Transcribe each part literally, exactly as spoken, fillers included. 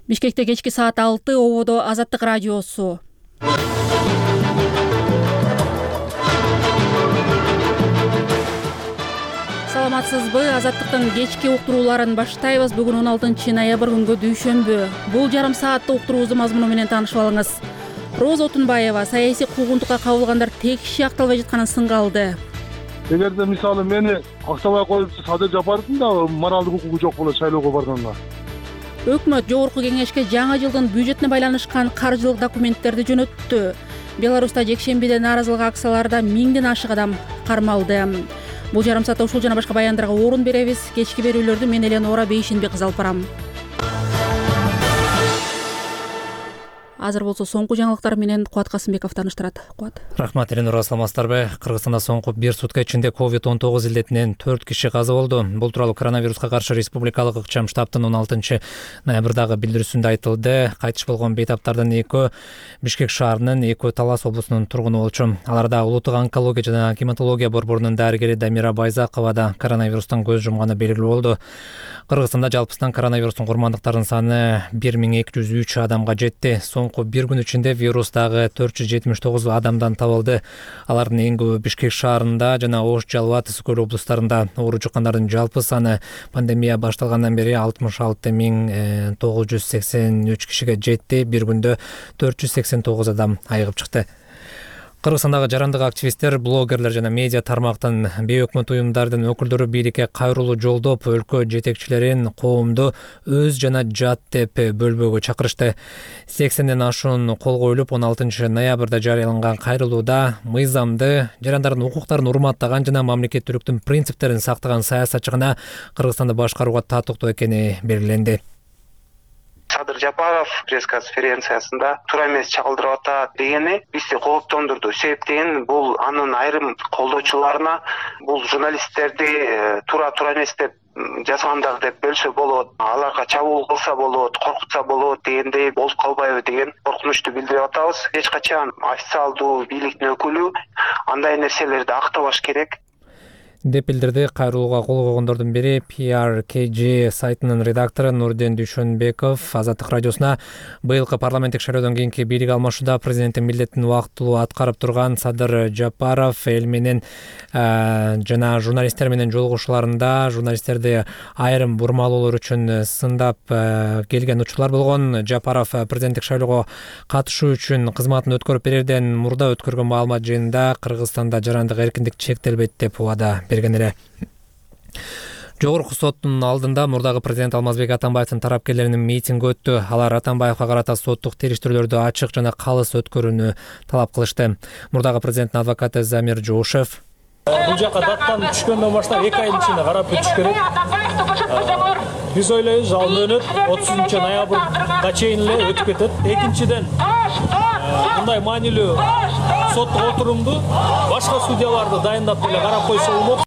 Бишкекте кечки саат алты, ободо Азаттык радиосу. Саламатсызбы? Азаттыктын кечки уктурууларын баштайбыз. Бүгүн он алтынчы ноябрь күнгө дүйшөмбү. Бул жарым сааттык уктуруубуздун мазмуну менен таанышып алыңыз. Роза Отунбаева саясий куугунтукка кабылгандар текши акталбай жатканын сынга алды. Эгерде мисалы мени актабай коюп Садыр Жапаровдун да моралдык укугу жок болот шайлоого барганга. Өкмөт жогорку кеңешке жаңы жылдын бюджетине байланышкан каржылык документтерди жөнөттү. Беларуста жекшембиде нааразылык акцияларда миңден ашык адам кармалды. Бул жарым саатта ушул жана башка баяндарга орун беребиз. Кечки берүүлөрдү мен Эленора Бейшенбек кызы алып барам. Азыр болсо соңку жаңылыктар менен Кубат Касымбеков тааныштырат. Кубат. Рахмат, Эленора, саламатсыздарбы? Кыргызстанда соңку бир сутка ичинде ковид он тогуз илдетинен төрт киши каза болду. Бул тууралуу коронавируска каршы республикалык ыкчам штабтын он алтынчы ноябрдагы билдирүүсүндө айтылды. Кайтыш болгон бейтаптардын экөө Бишкек шаарынын, экөө Талас облусунун тургуну болчу. Аларда улуттук онкология жана гематология борборунун дарыгери Дамира Байзакова да коронавирустан көз жумганы белгилүү болду. Кыргызстанда жалпысынан коронавирустун курмандыктарынын саны бир миң эки жүз үч адамга жетти. Соңку бир күн ичинде вирус дагы төрт жүз жетимиш тогуз адамдан табылды. Алардын эң көбү Бишкек шаарында жана Ош, Жалал, Ысык көл облустарында. Оору жуккандардын жалпы саны пандемия башталгандан бери алтымыш алты миң тогуз жүз сексен үч кишиге жетти. Бир күндө төрт жүз сексен тогуз адам айыгып чыкты. Кыргызстандагы жарандык активисттер, блогерлер жана медиа тармактын бейөкмөт уюмдардын өкүлдөрү бийликке кайрылуу жолдоп, өлкө жетекчилерин коомду өз жана жат деп бөлбөөгө чакырышты. сексенден ашуун кол коюлуп, он алтынчы ноябрда жарыяланган кайрылууда мыйзамды, жарандардын укуктарын урматтаган жана мамлекеттүүлүктүн принциптерин сактаган саясатчы гана Кыргызстанды башкарууга татыктуу экени белгиленди. Садыр Жапаров пресс-конференциясында туура эмес чагылдырып атат дегени бизди кооптондурду. Себеп деген бул анын айрым колдоочуларына бул журналисттерди туура туура эмес деп жазгандар деп бөлсө болот, аларга чабуул кылса болот, коркутса болот дегендей болуп калбайбы деген коркунучту билдирип атабыз. Эч качан официалдуу бийликтин өкүлү андай нерселерди актабаш керек деп билдирди. Кайрылууга кол койгондордун бири пи ар кей джи сайтынын редактору Нурден Дүйшөнбеков Азаттык радиосуна быйылкы парламенттик шайлоодон кийинки бийлик алмашууда президенттин милдетин убактылуу аткарып турган Садыр Жапаров эл менен жана журналисттер менен жолугушууларында журналисттерди айрым бурмалоолор үчүн сындап келген учурлар болгон. Жапаров президенттик шайлоого катышуу үчүн кызматын өткөрүп берерден мурда өткөргөн маалымат жыйынында Кыргызстанда жарандык эркиндик чектелбейт деп убада берген эле. Жогорку соттун алдында мурдагы президент Алмазбек Атамбаевдин тарапкерлеринин митинги өттү. Алар Атамбаевга карата соттук териштирүүлөрдү ачык жана калыс өткөрүүнү талап кылышты. Мурдагы президенттин адвокаты Замир Жоошев бул жака даттан түшкөндөн баштап эки айдын ичинде карап өтүш керек. Биз ойлойбуз, ал мөөнөт отузунчу ноябрга чейин эле өтүп кетет. Экинчиден, мындай маанилүү соттук отурумду башка судьяларды дайындап деле карап койсо болмок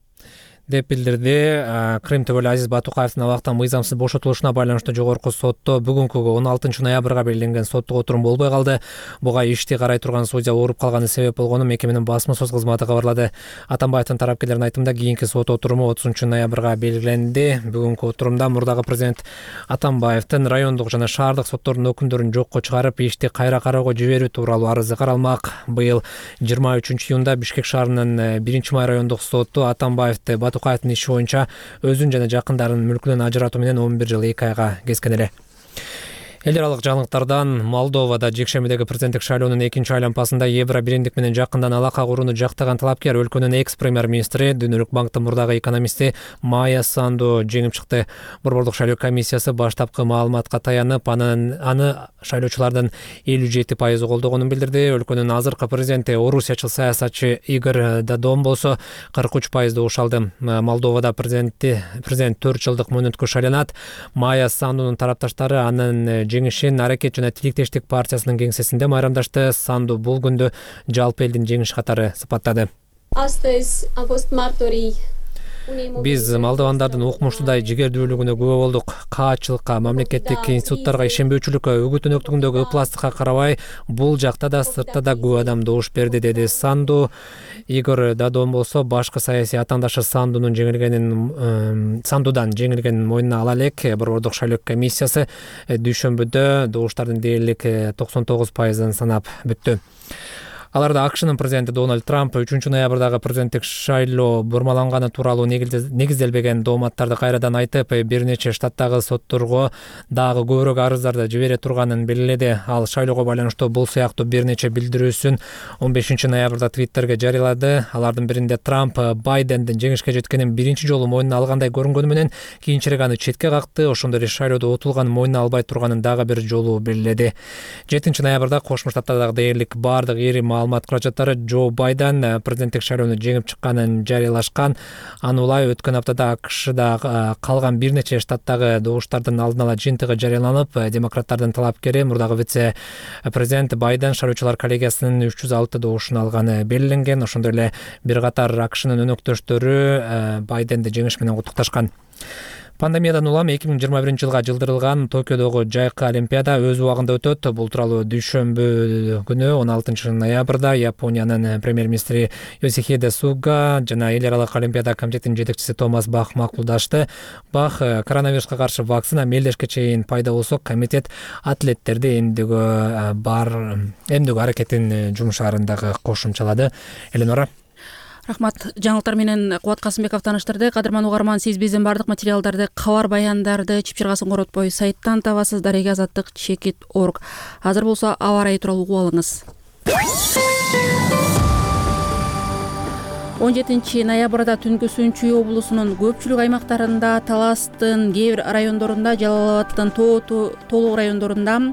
деп билдирди. Крым төбөлү Азиз Батукаевдин абактан мыйзамсыз бошотулушуна байланыштуу жогорку сотто бүгүнкүгө он алтынчы ноябрга белгиленген соттук отурум болбой калды. Буга ишти карай турган судья ооруп калганы себеп болгонун мекеменин басма сөз кызматы кабарлады. Атамбаевдин тарапкерлеринин айтымында кийинки сот отуруму отузунчу ноябрга белгиленди. Бүгүнкү отурумда мурдагы президент Атамбаевдин райондук жана шаардык соттордун өкүмдөрүн жокко чыгарып, ишти кайра кароого жиберүү тууралуу арызы каралмак. Быйыл жыйырма үчүнчү июнда Бишкек шаарынын биринчи май райондук соту Атамбаевди Батукаевдин иши боюнча өзүн жана жакындарынын мүлкүнөн ажыратуу менен он бир жыл эки айга kesкен эле. Эл аралык жаңылыктардан Молдовада жекшембидеги президенттик шайлоонун экинчи айлампасында Евро бириндик менен жакындан алака курууну жактаган талапкер өлкөнүн экс премьер-министри, Дүйнөлүк банктын мурдагы экономисти Майя Санду жеңип чыкты. Борбордук шайлоо комиссиясы баштапкы маалыматка таянып, анын аны шайлоочулардын элүү жети пайызы колдогонун билдирди. Өлкөнүн азыркы президенти орусиячыл саясатчы Игорь Додон болсо кырк үч пайызды ушалды. Молдовада президенти президент төрт жылдык мөөнөткө шайланат. Майя Сандунун тарапташтары анын жеңишин Аракет жана Тиликтештик партиясынын кеңсесинде майрамдашты. Санду бул күндү жалпы элдин жеңиши катары сыпаттады. Биз молдовандардын укмуштуудай жигердүүлүгүнө күбө болдук. Каачылыкка, мамлекеттик институттарга ишенбөөчүлүккө, үгүт өнөктүгүндөгү ыпластыкка карабай, бул жакта да сыртта да көп адам добуш берди, деди Санду. Игорь Дадон болсо башкы саясий атаандашы Сандунун жеңилгенин Сандудан жеңилгенин мойнуна ала элек. Борбордук шайлоо комиссиясы дүйшөмбүдө добуштардын дээрлик токсон тогуз пайызын санап бүттү. Аларда АКШнын президенти Дональд Трамп үчүнчү ноябрдагы президенттик шайлоо бурмаланганы тууралуу негизделбеген дооматтарды кайрадан айтып, бир нече штаттагы сотторго дагы көбүрөөк арыздарды жибере турганын белгиледи. Ал шайлоого байланыштуу бул сыяктуу бир нече билдирүүсүн он бешинчи ноябрда Твиттерге жарыялады. Алардын биринде Трамп Байдендин жеңишке жеткенин биринчи жолу мойнуна алгандай көрүнгөнү менен кийинчерээк аны четке какты. Ошондой эле шайлоодо утулганын мойнуна албай турганын дагы бир жолу белгиледи. жетинчи ноябрда Кошмо Штаттардагы дээрлик баардык ири маалымат каражаттары Джо Байден президенттик шайлоону жеңип чыкканын жарыялашкан. Анулай өткөн аптада АКШда калган бир нече штаттагы добуштардын алдын ала жыйынтыгы жарыяланып, демократтардын талапкери мурдагы вице президент Байден шайлоочулар коллегиясынын үч жүз алты добушун алганы белгиленген. Ошондой эле бир катар АКШнын өнөктөштөрү Байденди жеңиш менен куттукташкан. Пандемиядан улам эки миң жыйырма биринчи жылга жылдырылган Токиодогу жайкы олимпиада өз убагында өтөт. Бул тууралуу дүйшөмбү күнү он алтынчы ноябрда Япониянын премьер-министри Йосихиде Суга жана эл аралык олимпиада комитетинин жетекчиси Томас Бах макулдашты. Бах коронавируска каршы вакцина мелдешке чейин пайда болсо, комитет атлеттерди эмдүүгө бар эмдүү аракетин жумшаарын дагы кошумчалады. Эленора. Рахмат. Жаңылыктар менен Кубат Касымбеков тааныштырды. Кадырман угарман, сиз биздин бардык материалдарды, кабар баяндарды чипчиргасын коротпой сайттан табасыз. Дареге азаттык чекит точка орг. Азыр болсо аба ырайы тууралуу угуп алыңыз. он жетинчи ноябрда түнкү Сүнчүй облусунун көпчүлүк аймактарында, Таластын кээ бир райондорунда, Жалал Абадтын толук райондорунда,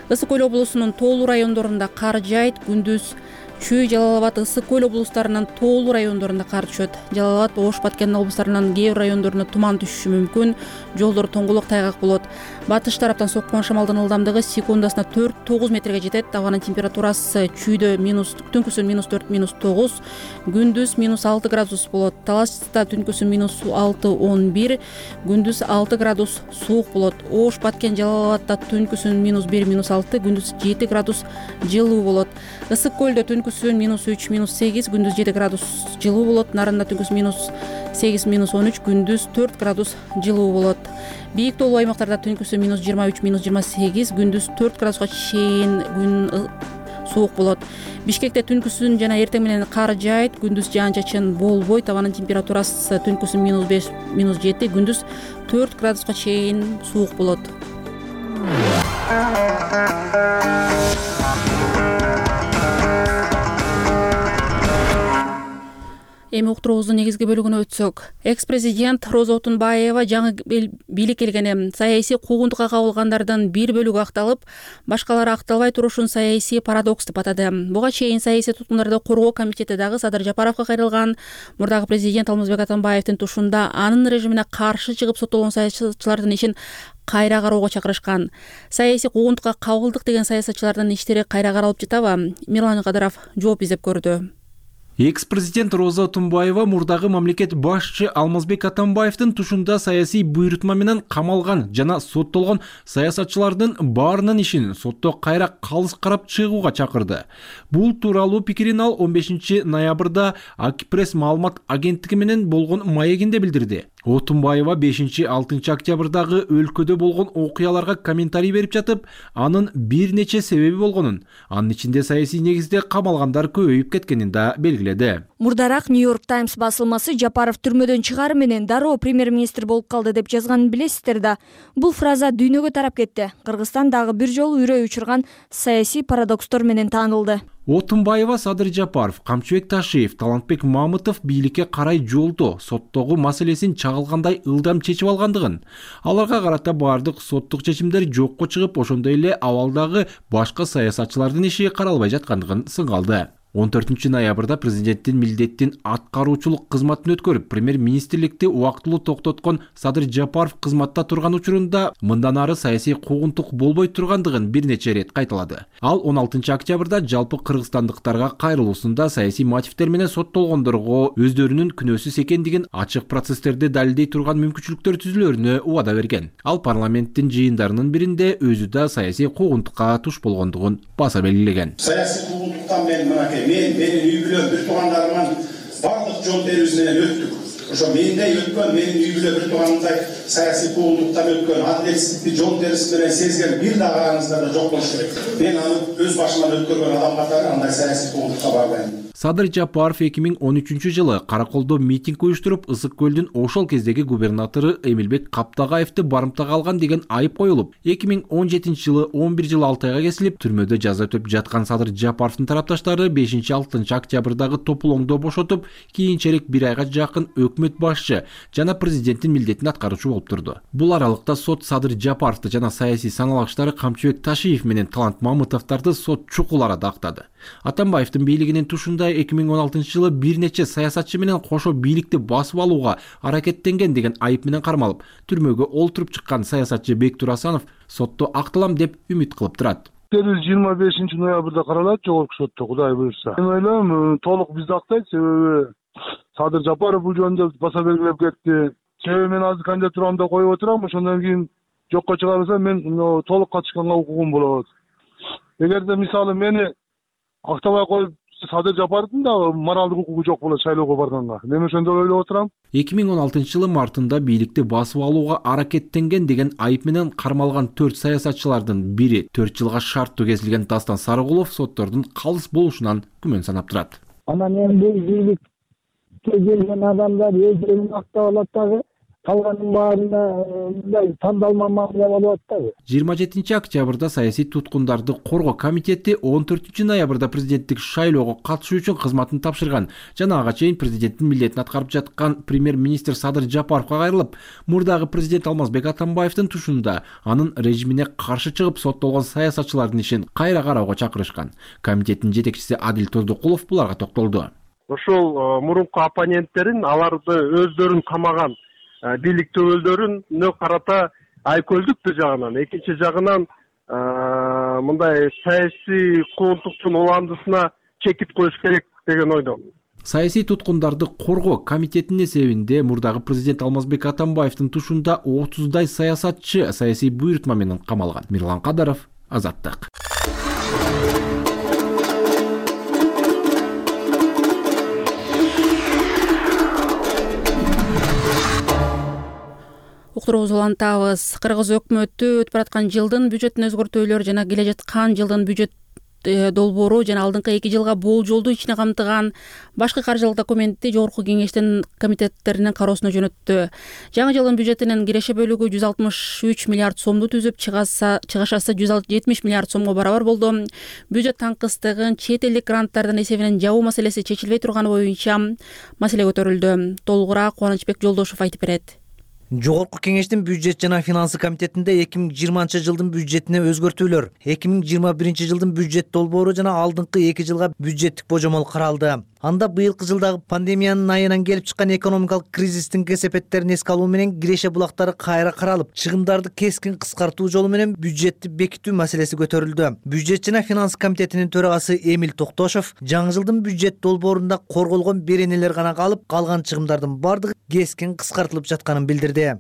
Ысык Көл облусунун тоолуу райондорунда кар жаайт. Күндүз Чүй, Жалал Абад, Ысык Көл облустарынын тоолуу райондорунда кар түшөт. Жалал Абад, Ош, Баткен облустарынын кээ бир райондорунда туман түшүшү мүмкүн. Жолдор тоңголук, тайгак болот. Батыш тараптан соккон шамалдын ылдамдыгы секундасына төрт тогуз метрге жетет. Абанын температурасы чүйдө минус түнкүсүн минус төрт минус тогуз, күндүз минус алты градус болот. Таласта түнкүсүн минус алты он бир, күндүз алты градус суук болот. Ош, Баткен, Жалал Абадта түнкүсүн минус бир минус алты, күндүз жети градус жылуу болот. Ысык Көлдө түнкүсүн минус үч минус сегиз, күндүз жети градус жылуу болот. Нарында түнкүсүн минус сегиз минус он үч, күндүз төрт градус жылуу болот. Бийик тоолуу аймактарда түнкүсүн минус жыйырма үч минус жыйырма сегиз, күндүз төрт градуска чейин күн суук болот. Бишкекте түнкүсүн жана эртең менен кар жаайт, күндүз жаан-чачын болбойт. Абанын температурасы түнкүсүн минус беш минус жети, күндүз төрт градуска чейин суук болот. Эми уктуруубуздун негизги бөлүгүнө өтсөк, экс-президент Роза Отунбаева жаңы бийлик келгени саясий куугунтукка кабылгандардын бир бөлүгү акталып, башкалары акталбай турушун саясий парадокс деп атады. Буга чейин саясий туткундарды коргоо комитети дагы Садыр Жапаровго кайрылган. Мурдагы президент Алмазбек Атамбаевдин тушунда анын режимине каршы чыгып соттолгон саясатчылардын ишин кайра кароого чакырышкан. Саясий куугунтукка кабылдык деген саясатчылардын иштери кайра каралып жатабы? Мирлан Кадыров жооп издеп көрдү. Экс-президент Роза Отунбаева мурдагы мамлекет башчы Алмазбек Атамбаевдин тушунда саясий буйрутма менен камалган жана соттолгон саясатчылардын баарынын ишин сотто кайра калыс карап чыгууга чакырды. Бул тууралуу пикирин ал он бешинчи ноябрда Акипресс маалымат агенттиги менен болгон маегинде билдирди. Отунбаева бешинчи алтынчы октябрдагы өлкөдө болгон окуяларга комментарий берип жатып, анын бир нече себеби болгонун, анын ичинде саясий негизде камалгандар көбөйүп кеткенин да белгиледи. Мурдараак Нью-Йорк Таймс басылмасы Жапаров түрмөдөн чыгары менен дароо премьер-министр болуп калды деп жазганын билесиздер да. Бул фраза дүйнөгө тарап кетти. Кыргызстан дагы бир жолу үрөй учурган саясий парадокстор менен таанылды. Отунбаева, Садыр Жапаров, Камчыбек Ташиев, Талантбек Мамытов бийликке карай жолдо соттогу маселесин чагылгандай ылдам чечип алгандыгын, аларга карата баардык соттук чечимдер жокко чыгып, ошондой эле абалдагы башка саясатчылардын иши каралбай жаткандыгын сынга алды. он төртүнчү ноябрда президенттин милдеттин аткаруучулук кызматын өткөрүп, премьер-министрликти убактылуу токтоткон Садыр Жапаров кызматта турган учурунда мындан ары саясий куугунтук болбой тургандыгын бир нече рет кайталады. Ал он алтынчы октябрда жалпы кыргызстандыктарга кайрылуусунда саясий мотивдер менен соттолгондорго өздөрүнүн күнөөсүз экендигин ачык процесстерди далилдей турган мүмкүнчүлүктөр түзүлөрүнө убада берген. Ал парламенттин жыйындарынын биринде өзү да саясий куугунтукка туш болгондугун баса белгилеген. Саясий куугунтуктан мен мынакей мен менин үй бүлөм бир туугандарымдын бардык жол берүүсү менен өттүк. Ошо мендей өткөн, менин үй бүлө бир тууганымдай саясий куугунтуктан өткөн, адилетсиздикти жол берүүсү менен сезген бир да караңыздар да жок болуш керек. Мен аны өз башыман өткөргөн адам катары андай саясий куугунтукка барбайм. Садыр Жапаров эки миң он үчүнчү жылы Караколдо митинг уюштуруп, Ысык көлдүн ошол кездеги губернатору Эмилбек Каптагаевди барымтага алган деген айып коюлуп, эки миң он жетинчи жылы он бир жыл алты айга кесилип, түрмөдө жаза өтөп жаткан Садыр Жапаровдун тарапташтары бешинчи алтынчы октябрдагы топулоңдо бошотуп, кийинчерээк бир айга жакын өкмөт башчы жана президенттин милдетин аткаруучу болуп турду. Бул аралыкта сот Садыр Жапаровду жана саясий саналгычтары Камчыбек Ташиев менен Талант Мамытовдорду сот чукул арада актады. Атамбаевдин бийлигинин тушунда эки миң он алтынчы жылы бир нече саясатчы менен кошо бийликти басып алууга аракеттенген деген айып менен кармалып, түрмөгө олтуруп чыккан саясатчы Бектур Асанов сотто акталам деп үмүт кылып турат. жыйырма бешинчи ноябрда каралат жогорку сотто, Кудай буйрса. Мен ойлойм, толук бизди актайт, себеби Садыр Жапаров бул жөнүндө баса белгилеп кетти. Себеби мен азыр кандидатурамды коюп отурам, ошондон кийин жокко чыгарылса мен толук катышканга укугум болот. Эгерде мисалы мени актабай коюп Садыр Жапаровдун да моралдык укугу жок болот шайлоого барганга. Мен ошондой ойлоп отурам. эки миң он алтынчы жылы мартында бийликти басып алууга аракеттенген деген айып менен кармалган төрт саясатчылардын бири төрт жылга шарттуу кезилген Дастан Сарыгулов соттордун калыс болушунан күмөн санап турат. Анан эми бийликке келген адамдар өздөрүн актап алат дагы, калганын баарына мындай тандалма мамиле болуп атпайбы? жыйырма жетинчи октябрда саясий туткундарды коргоо комитети он төртүнчү ноябрда президенттик шайлоого катышуу үчүн кызматын тапшырган жана ага чейин президенттин милдетин аткарып жаткан премьер-министр Садыр Жапаровго кайрылып, мурдагы президент Алмазбек Атамбаевдин тушунда анын режимине каршы чыгып соттолгон саясатчылардын ишин кайра кароого чакырышкан. Комитеттин жетекчиси Адил Тоздукулов буларга токтолду. Ошол мурунку оппоненттерин, аларды өздөрүн камаган бийлик төбөлдөрүнө карата айкөлдүк бир жагынан, экинчи жагынан мындай саясий куугунтуктун уландысына чекит коюш керек деген ойдомун. Саясий туткундарды коргоо комитетинин эсебинде мурдагы президент Алмазбек Атамбаевдин тушунда отуздай саясатчы саясий буйрутма менен камалган. Мирлан Кадаров, Азаттык. Уктуруубузду улантабыз. Кыргыз өкмөтү өтүп бараткан жылдын бюджетин өзгөртүүлөр жана келе жаткан жылдын бюджет долбоору жана алдыңкы эки жылга болжолдуу ичине камтыган башкы каржылык документти жогорку кеңештин комитеттеринин кароосуна жөнөттү. Жаңы жылдын бюджетинин киреше бөлүгү жүз алтымыш үч миллиард сомду түзүп, чыгашасы жүз жетимиш миллиард сомго барабар болду. Бюджет таңкыстыгын чет элдик гранттардын эсебинен жабуу маселеси чечилбей турганы боюнча маселе көтөрүлдү. Толугураак Кубанычбек Жолдошов айтып берет. Жогорку кеңештин бюджет жана финансы комитетинде эки миң жыйырманчы жылдын бюджетине өзгөртүүлөр, эки миң жыйырма биринчи жылдын бюджет долбоору жана алдыңкы эки жылга бюджеттик божомол каралды. Анда быйылкы жылдагы пандемиянын айынан келип чыккан экономикалык кризистин кесепеттерин эске алуу менен киреше булактары кайра каралып, чыгымдарды кескин кыскартуу жолу менен бюджетти бекитүү маселеси көтөрүлдү. Бюджет жана финансы комитетинин төрагасы Эмил Токтошов жаңы жылдын бюджет долбоорунда корголгон беренелер гана калып, калган чыгымдардын бардыгы кескин кыскартылып жатканын билдирди.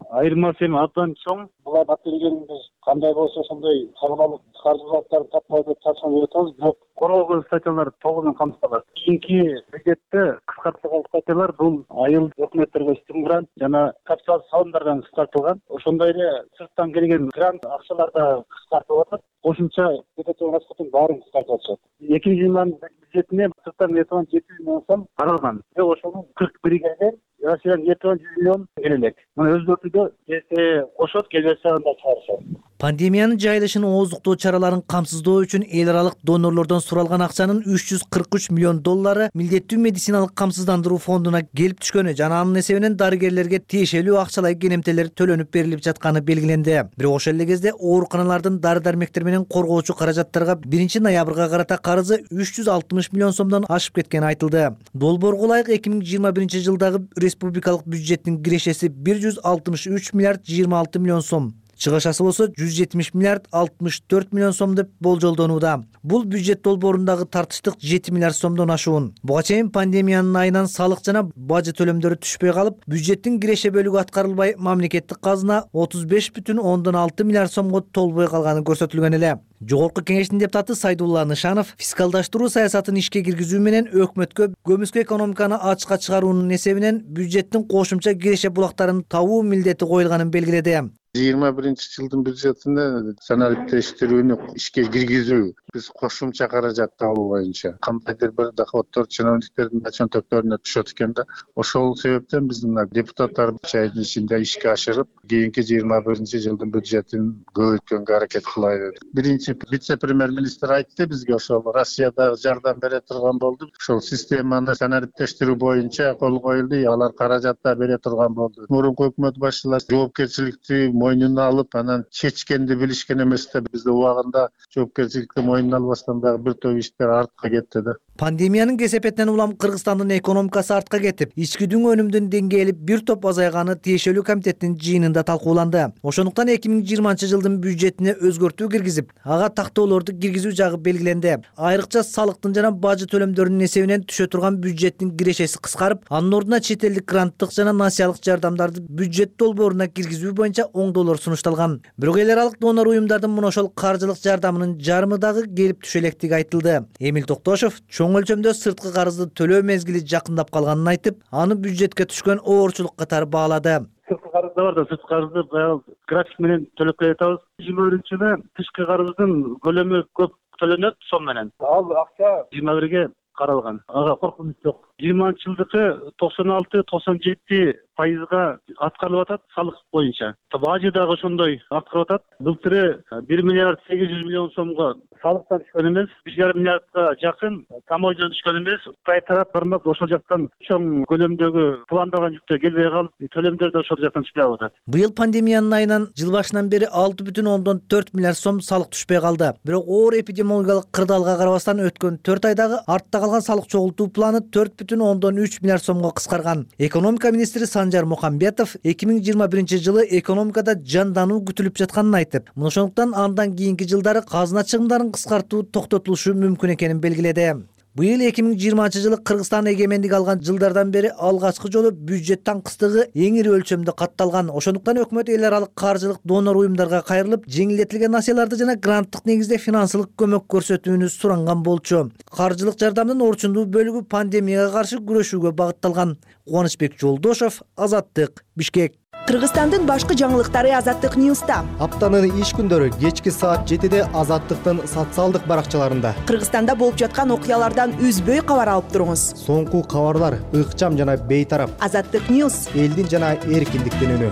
Айырмасы эми абдан чоң. Булар батилгенибиз кандай болсо ошондой калган каржылыктарды таппай деп тапшырып атабыз, бирок корголгон статьялар толугу камтылат. Кийинки бюджетте кыскартылган статьялар бул айыл өкмөттөргө стимулант жана капитал салымдардан кыскартылган. Ошондой эле сырттан келген грант акчалар да кыскартылып атат. Кошумча бюджеттин расходун баарын кыскартып атышат. эки миң жыйырма бюджетине сырттан эртебан жети жүз миңон сом каралган. Бирок ошонун кырк бири келген, Россиядан эртебан жүз миллион келе элек. Мына өзгөртүүдө эсе кошот, келбесе анда чыгарышат. Пандемиянын жайылышын ооздуктоо чараларын камсыздоо үчүн эл аралык донорлордон суралган акчанын үч жүз кырк үч миллион доллары милдеттүү медициналык камсыздандыруу фондуна келип түшкөнү жана анын эсебинен дарыгерлерге тиешелүү акчалай кенемтелер төлөнүп берилип жатканы белгиленди. Бирок ошол эле кезде ооруканалардын дары дармектер менен коргоочу каражаттарга биринчи ноябрга карата карызы үч жүз алтымыш миллион сомдон ашып кеткени айтылды. Долбоорго ылайык эки миң жыйырма биринчи жылдагы республикалык бюджеттин кирешеси бир жүз алтымыш үч миллиард жыйырма алты миллион сом. Чыгышасы болсо жүз жетимиш миллиард алтымыш төрт миллион сом деп болжолдонууда. Бул бюджет долбоорундагы тартыштык жети миллиард сомдон ашуун. Буга чейин пандемиянын айынан салык жана бажы төлөмдөрү түшпөй калып, бюджеттин киреше бөлүгү аткарылбай, мамлекеттик казына отуз беш бүтүн ондон алты миллиард сомго толбой калганы көрсөтүлгөн эле. Жогорку кеңештин депутаты Сайдулла Нышанов фискалдаштыруу саясатын ишке киргизүү менен өкмөткө көмүскө экономиканы ачыкка чыгаруунун эсебинен бюджеттин кошумча киреше булактарын табуу милдети коюлганын белгиледи. жыйырма биринчи жылдын бюджетинде санариптештирүүнү ишке киргизүү биз кошумча каражат табуу боюнча кандайдыр бир доходдор чиновниктердин чөнтөктөрүнө түшөт экен да. Ошол себептен биздин депутаттар үч айдын ичинде ишке ашырып, кийинки жыйырма биринчи жылдын бюджетин көбөйткөнгө аракет кылайлы. Биринчи вице-премьер-министр айтты бизге, ошол Россияда жардам бере турган болду. Ошол системаны санариптештирүү боюнча кол коюлду, алар каражат да бере турган болду. Мурунку өкмөт башчылар жоопкерчиликти мойнуна алып, анан чечкенди билишкен эмес да. Бизде убагында жоопкерчиликти мойнуна албастан дагы бир топ иштер артка кетти да. Пандемиянын кесепетинен улам Кыргызстандын экономикасы артка кетип, ички дүң өнүмдүн деңгээли бир топ азайганы тиешелүү комитеттин жыйынында талкууланды. Ошондуктан эки миң жыйырманчы жылдын бюджетине өзгөртүү киргизип, ага тактоолорду киргизүү жагы белгиленди. Айрыкча салыктын жана бажы төлөмдөрүнүн эсебинен түшө турган бюджеттин кирешеси кыскарып, анын ордуна чет элдик гранттык жана насыялык жардамдарды бюджет долбооруна киргизүү боюнча оңдоолор сунушталган. Бирок эл аралык донор уюмдардын мына ошол каржылык жардамынын жарымы дагы келип түшө электиги айтылды. Эмил Токтошов чоң өлчөмдө сырткы карызды төлөө мезгили жакындап калганын айтып, аны бюджетке түшкөн оорчулук катары баалады. Сырткы карыз да бар да, сырткы карызды баягы график менен төлөп келатабыз. жыйырма биринчи жылы тышкы карыздын көлөмү көп төлөнөт сом менен. Ал акча жыйырма бирге каралган. Ага коркунуч жок. жыйырманчы жылдыкы токсон алты токсон жети пайызга аткарылып атат салык боюнча. Бажы дагы ошондой аткарылып атат. Былтыры бир миллиард сегиз жүз миллион сомго салыктан түшкөн эмес, бир жарым миллиардка жакын тамойдон түшкөн эмес. Кытай тарап бармак ошол жактан чоң көлөмдөгү пландалган жүктөр келбей калып, төлөмдөр да ошол жактан түшпөй атат. Быйыл пандемиянын айынан жыл башынан бери алты бүтүн ондон төрт миллиард сом салык түшпөй калды. Бирок оор эпидемиологиялык кырдаалга карабастан өткөн төрт айдагы артта калган салык чогултуу планы төрт бүтүн ондон үч миллиард сомго кыскарган. Экономика министри Санжар Мухамбетов эки миң жыйырма биринчи жылы экономикада жандануу күтүлүп жатканын айтып, ошондуктан андан кийинки жылдары казына чыгымдарын кыскартуу токтотулушу мүмкүн экенин белгиледи. Быйыл эки миң жыйырманчы жылы Кыргызстан эгемендик алган жылдардан бери алгачкы жолу бюджет таңкыстыгы эң ири өлчөмдө катталган. Ошондуктан өкмөт эл аралык каржылык донор уюмдарга кайрылып, жеңилдетилген насыяларды жана гранттык негизде финансылык көмөк көрсөтүүнү суранган болчу. Каржылык жардамдын орчундуу бөлүгү пандемияга каршы күрөшүүгө багытталган. Кубанычбек Жолдошов, Азаттык, Бишкек. Кыргызстандын башкы жаңылыктары Азаттык Ньюста. Аптанын иш күндөрү кечки саат жетиде Азаттыктын социалдык баракчаларында. Кыргызстанда болуп жаткан окуялардан үзбөй кабар алып туруңуз. Соңку кабарлар ыкчам жана бейтарап. Азаттык Ньюс. Элдин жана эркиндиктин үнү.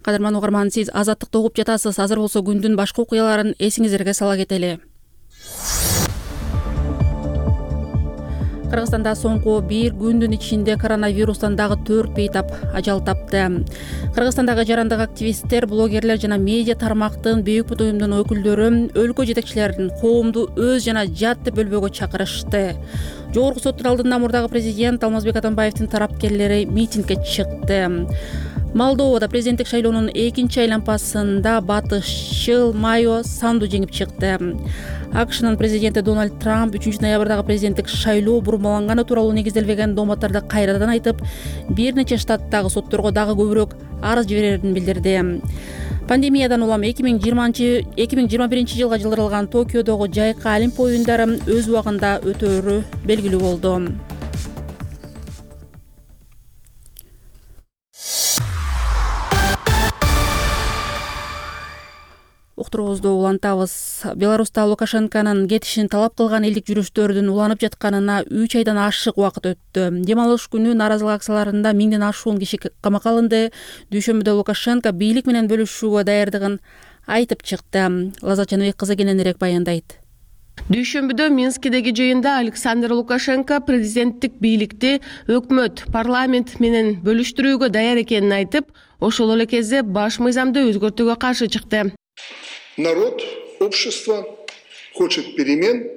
Кадырман угарман, сиз Азаттыкты угуп жатасыз. Азыр болсо күндүн башка окуяларын эсиңиздерге сала кетели. Кыргызстанда соңку бир күндүн ичинде коронавирустан дагы төрт бейтап ажал тапты. Кыргызстандагы жарандык активисттер, блогерлер жана медиа тармактын бейик бут уюмдун өкүлдөрү өлкө жетекчилерин коомду өз жана жат деп бөлбөөгө чакырышты. Жогорку соттун алдында мурдагы президент Алмазбек Атамбаевдин тарапкерлери митингге чыкты. Молдовада президенттик шайлоонун экинчи айлампасында батышчыл Майо Санду жеңип чыкты. АКШнын президенти Дональд Трамп үчүнчү ноябрдагы президенттик шайлоо бурмаланганы тууралуу негизделбеген дооматтарды кайрадан айтып, бир нече штаттагы сотторго дагы көбүрөөк арыз жиберерин билдирди. Пандемиядан улам эки миң жыйырма биринчи жылга жылдырылган Токиодогу жайкы Олимп оюндары өз убагында өтөөрү белгилүү болду. Уктуруубузду улантабыз. Беларуста Лукашенконун кетишин талап кылган элдик жүрүштөрдүн уланып жатканына үч айдан ашык убакыт өттү. Дем алыш күнү нааразылык акцияларында миңден ашуун киши камакка алынды. Дүйшөмбүдө Лукашенко бийлик менен бөлүшүүгө даярдыгын айтып чыкты. Лазат Жаныбек кызы кененирээк баяндайт. Дүйшөмбүдө Минскидеги жыйында Александр Лукашенко президенттик бийликти өкмөт, парламент менен бөлүштүрүүгө даяр экенин айтып, ошол эле кезде баш мыйзамды өзгөртүүгө каршы чыкты. Народ, общество хочет перемен,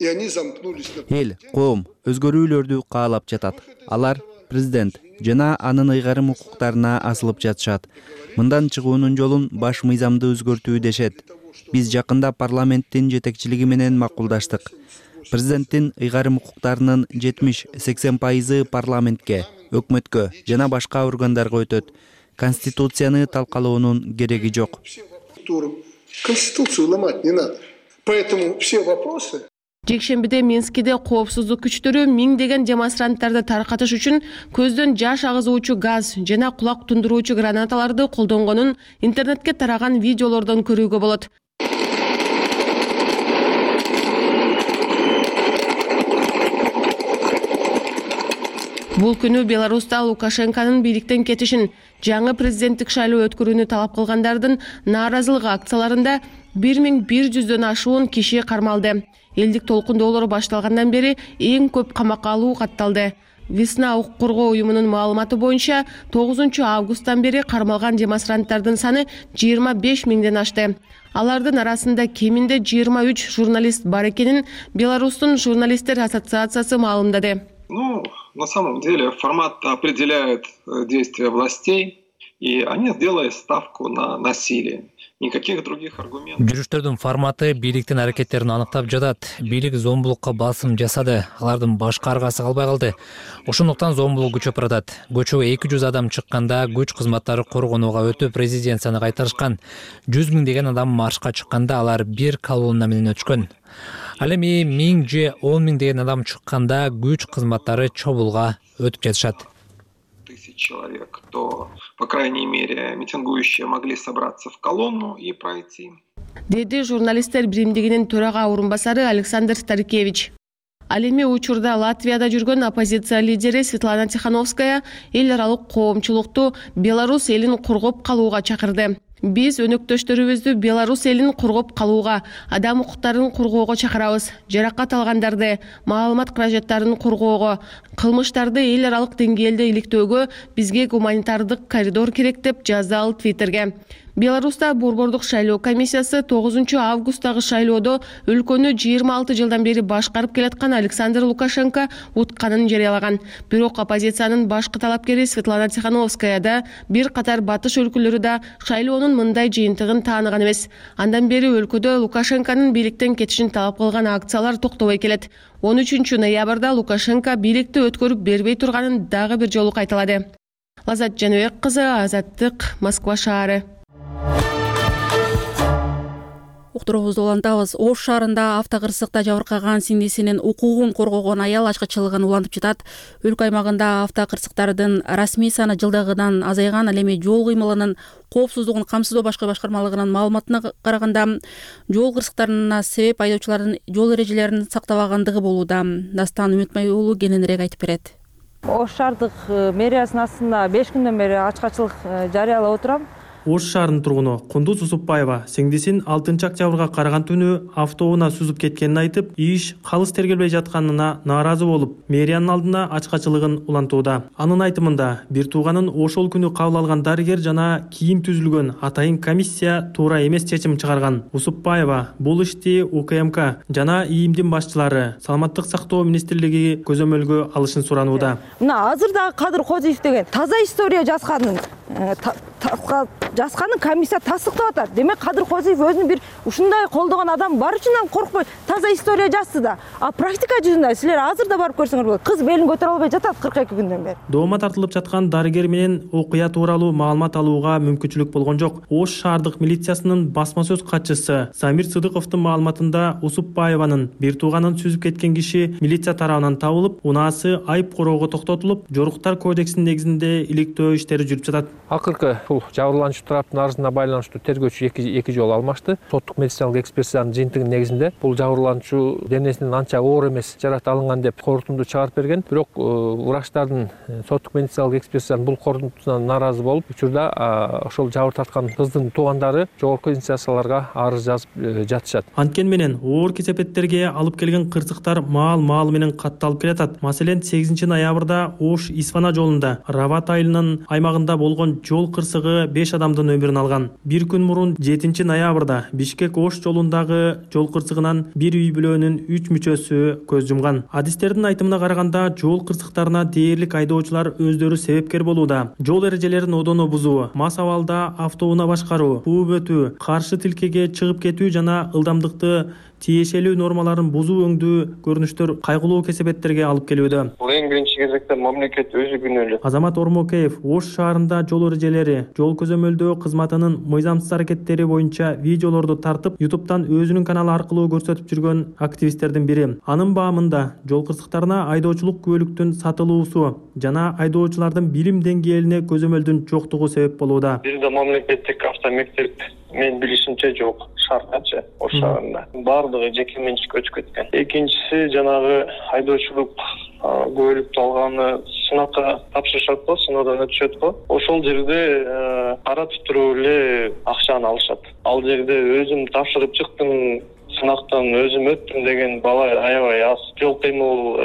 и они замкнулись на... Эл, коом өзгөрүүлөрдү каалап жатат. Алар президент жана анын ыйгарым укуктарына асылып жатышат. Мындан чыгуунун жолун баш мыйзамды өзгөртүү дешет. Биз жакында парламенттин жетекчилиги менен макулдаштык. Президенттин ыйгарым укуктарынын жетимиш-сексен пайызы парламентке, өкмөткө жана башка органдарга өтөт. Конституцияны талкалоонун кереги жок. Конституцию ломать не надо. Поэтому все вопросы... Жекшембиде Минскиде коопсуздук күчтөрү миңдеген демонстранттарды таркатыш үчүн көздөн жаш агызуучу газ жана кулак тундуруучу гранаталарды колдонгонун интернетке тараган видеолордон көрүүгө болот. Бул күнү Беларуста Лукашенконун бийликтен кетишин, жаңы президенттик шайлоо өткөрүүнү талап кылгандардын нааразылык акцияларында бир миң бир жүздөн ашуун киши кармалды. Элдик толкундоолор башталгандан бери эң көп камакка алуу катталды. Весна укук коргоо уюмунун маалыматы боюнча тогузунчу августтан бери кармалган демонстранттардын саны жыйырма беш миңден ашты. Алардын арасында кеминде жыйырма үч журналист бар экенин Беларустун журналисттер ассоциациясы маалымдады. Ну, на самом деле формат определяет действия властей, и они сделали ставку на насилие. Никаких других аргументов. Жүрүштөрдүн форматы бийликтин аракеттерин аныктап жатат. Бийлик зомбулукка басым жасады. Алардын башка аргасы калбай калды. Ошондуктан зомбулук күчөп баратат. Көчөгө эки жүз адам чыкканда күч кызматтары коргонууга өтүп резиденцияны кайтарышкан. жүз миңдеген адам маршка чыкканда алар бир колонна менен өтүшкөн. Ал эми миң же он миңдеген адам чыкканда күч кызматтары чобулга өтүп жатышат. Тысяч человек, то, по крайней мере, митингующие могли собраться в колонну и пройти. Деди журналисттер биримдигинин төрага орунбасары Александр Старикевич. Ал эми учурда Латвияда жүргөн оппозиция лидери Светлана Тихановская эл аралык коомчулукту Беларусь элин коргоп калууга чакырды. Биз өнөктөштөрүбүздү Беларусь элин коргоп калууга, адам укуктарын коргоого чакырабыз. Жаракат алгандарды, маалымат каражаттарын коргоого, кылмыштарды эл аралык деңгээлде иликтөөгө бизге гуманитардык коридор керек деп жазды ал Твиттерге. Беларуста борбордук шайлоо комиссиясы тогузунчу августтагы шайлоодо өлкөнү жыйырма алты жылдан бери башкарып келаткан Александр Лукашенко утканын жарыялаган. Бирок оппозициянын башкы талапкери Светлана Тихановская да бир катар батыш өлкөлөрү да шайлоонун мындай жыйынтыгын тааныган эмес. Андан бери өлкөдө Лукашенконун бийликтен кетишин талап кылган акциялар токтобой келет. он үчүнчү ноябрда Лукашенко бийликти өткөрүп бербей турганын дагы бир жолу кайталады. Лазат Жаныбек кызы, Азаттык, Москва шаары. Уктуруубузду улантабыз. Ош шаарында автокырсыкта жабыркаган сиңдисинин укугун коргогон аял ачкычылыгын улантып жатат. Өлкө аймагында автокырсыктардын расмий саны жылдагыдан азайган. Ал эми жол кыймылынын коопсуздугун камсыздоо башкы башкармалыгынын маалыматына караганда, жол кырсыктарына себеп айдоочулардын жол эрежелерин сактабагандыгы болууда. Дастан Үмүтмай уулу кененирээк айтып берет. Ош шаардык мэриясынын астында беш күндөн бери ачкачылык жарыялап отурам. Ош шаарынын тургуну Кундуз Усупбаева сиңдисин алтынчы октябрга караган түнү автоунаа сүзүп кеткенин айтып, иш калыс тергелбей жатканына нааразы болуп, мэриянын алдына ачкачылыгын улантууда. Анын айтымында, бир тууганын ошол күнү кабыл алган дарыгер жана кийин түзүлгөн атайын комиссия туура эмес чечим чыгарган. Усупбаева бул ишти У К М К жана ИИМдин башчылары Саламаттык сактоо министрлиги көзөмөлгө алышын суранууда. Мына азыр дагы Кадыр Козиев деген таза история жазганын жазганын комиссия тастыктап атат. Демек Кадыр Козиев өзүнүн бир ушундай колдогон адам бар үчүн коркпой таза история жазды да. А практика жүзүндө силер азыр да барып көрсөңөр болот. Кыз белин көтөрө албай жатат кырк эки күндөн бери. Доомат тартылып жаткан дарыгер менен окуя тууралуу маалымат алууга мүмкүнчүлүк болгон жок. Ош шаардык милициясынын басма сөз катчысы Самир Сыдыковдун маалыматында Усупбаеванын бир тууганын сүзүп кеткен киши милиция тарабынан табылып, унаасы айып короого токтотулуп, жоруктар кодексинин негизинде иликтөө иштери жүрүп жатат. Акыркы Бул жабырлануучу тараптын арызына байланыштуу тергөөчү эки жолу алмашты. Соттук медициналык экспертизанын жыйынтыгынын негизинде бул жабырлануучу денесинин анча оор эмес жаракат алынган деп корутунду чыгарып берген. Бирок врачтардын соттук медициналык экспертизанын бул корутундусуна нааразы болуп, учурда ошол жабыр тарткан кыздын туугандары жогорку инстанцияларга арыз жазып жатышат. Анткени менен оор кесепеттерге алып келген кырсыктар маал-маал менен катталып келатат. Маселен, сегизинчи ноябрда Ош Исфана жолунда Рават айылынын аймагында болгон жол кырсыгы беш адамдын өмүрүн алган. Бир күн мурун жетинчи ноябрда Бишкек Ош жолундагы жол кырсыгынан бир үй бүлөнүн үч мүчөсү көз жумган. Адистердин айтымына караганда, жол кырсыктарына дээрлик айдоочулар өздөрү себепкер болууда. Жол эрежелерин одоно бузуу, мас абалда автоунаа башкаруу, кууп өтүү, каршы тилкеге чыгып кетүү жана ылдамдыкты тиешелүү нормаларын бузуу өңдүү көрүнүштөр кайгылуу кесепеттерге алып келүүдө. Бул эң биринчи кезекте мамлекет өзү күнөөлүү. Азамат Ормокеев Ош шаарында жол эрежелери, жол көзөмөлдөө кызматынын мыйзамсыз аракеттери боюнча видеолорду тартып, ютубтан өзүнүн каналы аркылуу көрсөтүп жүргөн активисттердин бири. Анын баамында жол кырсыктарына айдоочулук күбөлүктүн сатылуусу жана айдоочулардын билим деңгээлине көзөмөлдүн жоктугу себеп болууда. Бирде мамлекеттик автомектеп мен билишимче жок шаардачы Ош шаарында. Бардыгы жеке менчикке өтүп кеткен. Экинчиси жанагы айдоочулук күбөлүктү алганы сынакка тапшырышат го, сыноодан өтүшөт го. Ошол жерде каратып туруп эле акчаны алышат. Ал жерде өзүм тапшырып чыктым, сынактан өзүм өттүм деген бала аябай аз. Жол кыймыл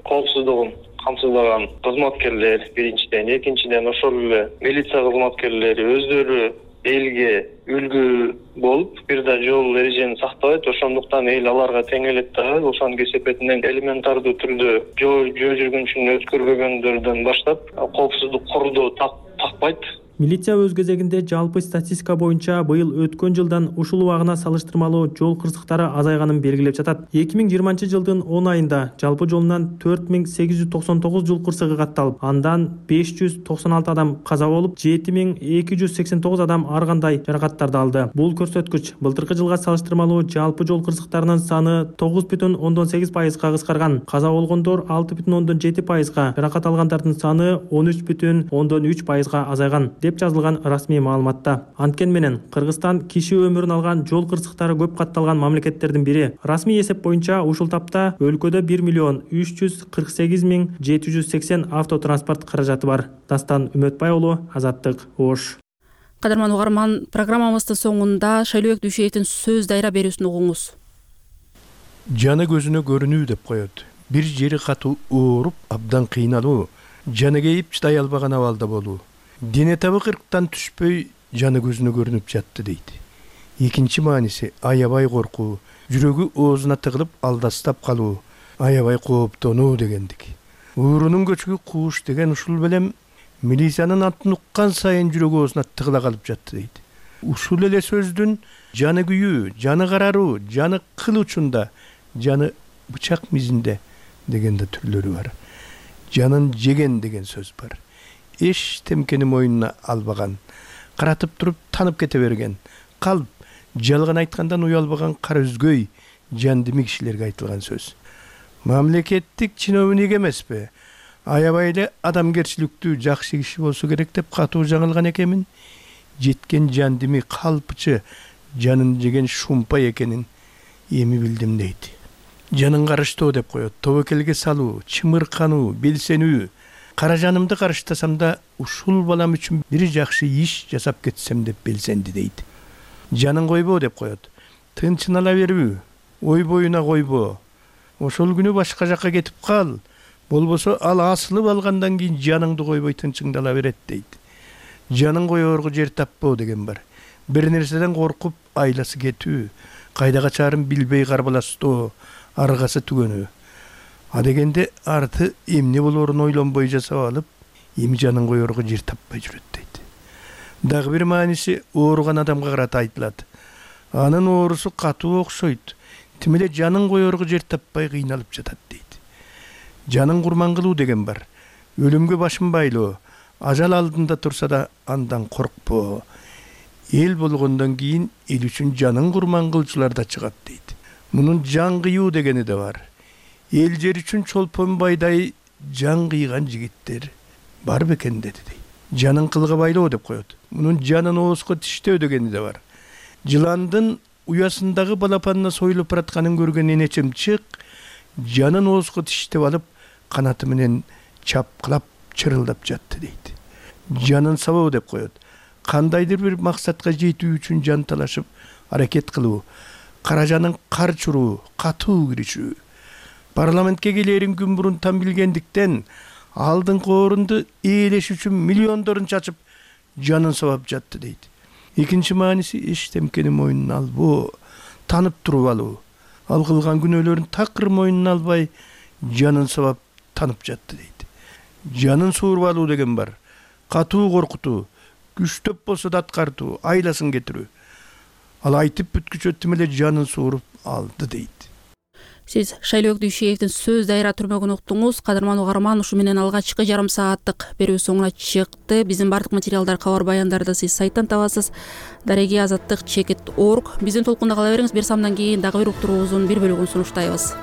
коопсуздугун камсыздаган кызматкерлер биринчиден, экинчиден ошол эле милиция кызматкерлери өздөрү элге үлгү болуп, бир да жол эрежени сактабайт, ошондуктан эл аларга тең элек да, ошонун кесепетинен элементардуу түрдө жол жүргүнчүн өткөрбөгөндөрдөн баштап коопсуздук курду такпайт. Милиция өз кезегинде жалпы статистика боюнча быйыл өткөн жылдан ушул убагына салыштырмалуу жол кырсыктары азайганын белгилеп жатат. эки миң жыйырманчы жылдын он айында жалпы жолунан төрт миң сегиз жүз токсон тогуз жол кырсыгы катталып, андан беш жүз токсон алты адам каза болуп, жети миң эки жүз сексен тогуз адам ар кандай жаракаттарды алды. Бул көрсөткүч былтыркы жылга салыштырмалуу жалпы жол кырсыктарынын саны тогуз бүтүн ондон сегиз пайызга кыскарган. Каза болгондор алты бүтүн ондон жети пайызга, жаракат алгандардын саны он үч бүтүн ондон үч пайызга азайган деп жазылган расмий маалыматта. Анткени менен Кыргызстан киши өмүрүн алган жол кырсыктары көп катталган мамлекеттердин бири. Расмий эсеп боюнча ушул тапта өлкөдө бир миллион үч жүз кырк сегиз миң жети жүз сексен автотранспорт каражаты бар. Дастан Үмөтбай уулу, Азаттык, Ош. Кадырман угарман, программабыздын соңунда Шайлообек Дүйшеевдин сөз дайра берүүсүн угуңуз. Жаны көзүнө көрүнүү деп коет. Бир жери катуу ооруп, абдан кыйналуу, жаны кейип чыдай албаган абалда болуу. Дене табы кырктан түшпөй жаны көзүнө көрүнүп жатты дейт. Экинчи мааниси аябай коркуу, жүрөгү оозуна тыгылып алдастап калуу, аябай кооптонуу дегендик. Уурунун көчүгү кууш деген ушул белем милициянын атын уккан сайын жүрөгү оозуна тыгыла калып жатты дейт. Ушул эле сөздүн жаны күйүү, жаны караруу, жаны кыл учунда, жаны бычак мизинде дегенде түрлөрү бар. Жанын жеген деген сөз бар. Эш темкени мойнуна албаган, каратып туруп танып кете берген, калп, жалган айткандан уялбаган кара үзгөй, жандими кишилерге айтылган сөз. Мамлекеттик чиновник эмеспи, аябай эле адамгерчиликтүү жакшы киши болсо керек деп катуу жаңылган экенмин. Жеткен жандими калпчы, жанын жеген шумпай экенин эми билдим дейт. Жанын карыштоо деп коет, тобокелге салуу, чымыркануу, белсенүү. Кара жанымды карыштасам да ушул балам үчүн бир жакшы иш жасап кетсем деп белсенди дейт. Жанын койбоо деп коет. Тынчын ала берүү, ой боюна койбоо. Ошол күнү башка жакка кетип кал. Болбосо ал асылып алгандан кийин жаныңды койбой тынчыңды ала берет дейт. Жанын коёрго жер таппоо деген бар. Бир нерседен коркуп айласы кетүү, кайда качарын билбей карбаластоо, аргасы түгөнүү. А дегенде арты эмне болорун ойлонбой жасап алып, эми жанын коёрго жер таппай жүрөт дейт. Дагы бир мааниси ооруган адамга карата айтылат. Анын оорусу катуу окшойт. Тим эле жанын коёрго жер таппай кыйналып жатат дейт. Жанын курман кылуу деген бар. Өлүмгө башын байлоо, ажал алдында турса да андан коркпоо. Эл болгондон кийин эл үчүн жанын курман кылчулар да чыгат дейт. Мунун жан кыюу дегени да бар. Эл жер үчүн чолпон байдай жан кыйган жигиттер бар бекен деди дейт. жанын кылга байлоо деп коет. Мунун жанын оозго тиштөө дегени да бар. Жыландын уясындагы балапанына союлуп баратканын көргөн энечем чык жанын оозго тиштеп алып канаты менен чапкылап чырылдап жатты дейт. Жанын сабоо деп коет. Кандайдыр бир максатка жетүү үчүн жан талашып аракет кылуу, каражанын кар чуруу, катуу киришүү. Парламентке келерин күн мурун там билгендиктен алдыңкы орунду ээлеш үчүн миллиондорун чачып жанын сабап жатты дейт. Экинчи мааниси эчтемкени мойнуна албоо, танып туруп алуу. Ал кылган күнөөлөрүн такыр мойнуна албай жанын сабап танып жатты дейт. Жанын сууруп алуу деген бар. Катуу коркутуу, күчтөп болсо да аткартуу, айласын кетирүү. Ал айтып бүткүчөттүм эле жанын сууруп алды дейт. Сиз Шайлоок Дүйшеевдин сөз дайра түрмөгүн уктуңуз. Кадырман угарман, ушу менен алгачкы жарым сааттык берүү соңуна чыкты. Биздин бардык материалдар, кабар баяндарды сиз сайттан табасыз. Дареги азаттык чекит точка орг. Биздин толкунда кала бериңиз. Бир самдан кийин дагы бир уктуруубуздун бир бөлүгүн сунуштайбыз.